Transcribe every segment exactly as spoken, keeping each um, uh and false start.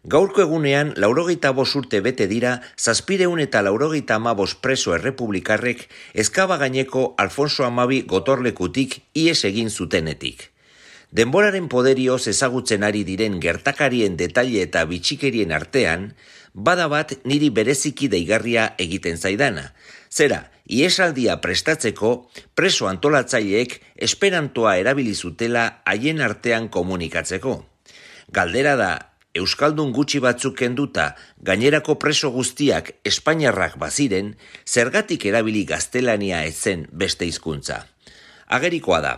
Gaurko egunean, laurogeita bost urte bete dira, zazpireun eta laurogeita hamabost preso errepublikarrek ezkaba gaineko Alfonso Hamabi gotorlekutik ihes egin zutenetik. Denboraren poderioz ezagutzen ari diren gertakarien detaile eta bitxikerien artean, bada bat niri bereziki deigarria egiten zaidana. Zera, ihesaldia prestatzeko, preso antolatzaileek esperantoa erabili zutela haien artean komunikatzeko. Galdera da, euskaldun gutxi batzuk kenduta gainerako preso guztiak espainiarrak baziren, zergatik erabili gaztelania ezen beste hizkuntza. Agerikoa da,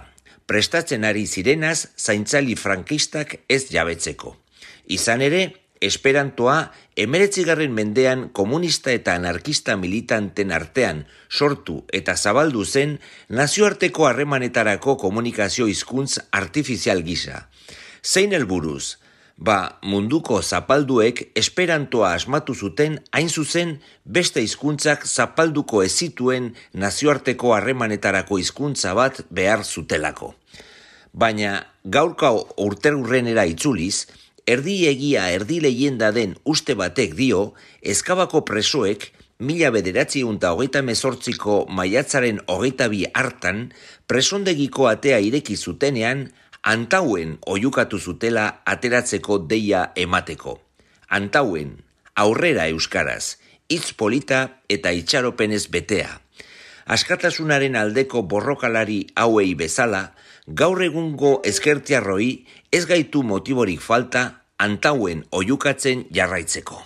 prestatzen ari zirenaz zaintzali frankistak ez jabetzeko. Izan ere, esperantoa hemeretzigarren mendean komunista eta anarkista militanten artean sortu eta zabaldu zen nazioarteko harremanetarako komunikazio hizkuntz artifizial gisa. Zein helburuz? Ba, munduko zapalduek esperantoa asmatu zuten hain zuzen beste hizkuntzak zapalduko ez zituen nazioarteko harremanetarako hizkuntza bat behar zutelako. Baina gaurko urterurrenera itzuliz, erdi egia erdi leienda den uste batek dio, ezkabako presoek mila bederatziehun eta hogeita hemezortziko maiatzaren hogeita bi hartan presondegiko atea ireki zutenean, Antauen oihukatu zutela ateratzeko deia emateko. Antauen, aurrera euskaraz, hitz polita eta itxaropenez betea. Askatasunaren aldeko borrokalari hauei bezala, gaur egungo ezkertiarroi ez gaitu motiborik falta Antauen oihukatzen jarraitzeko.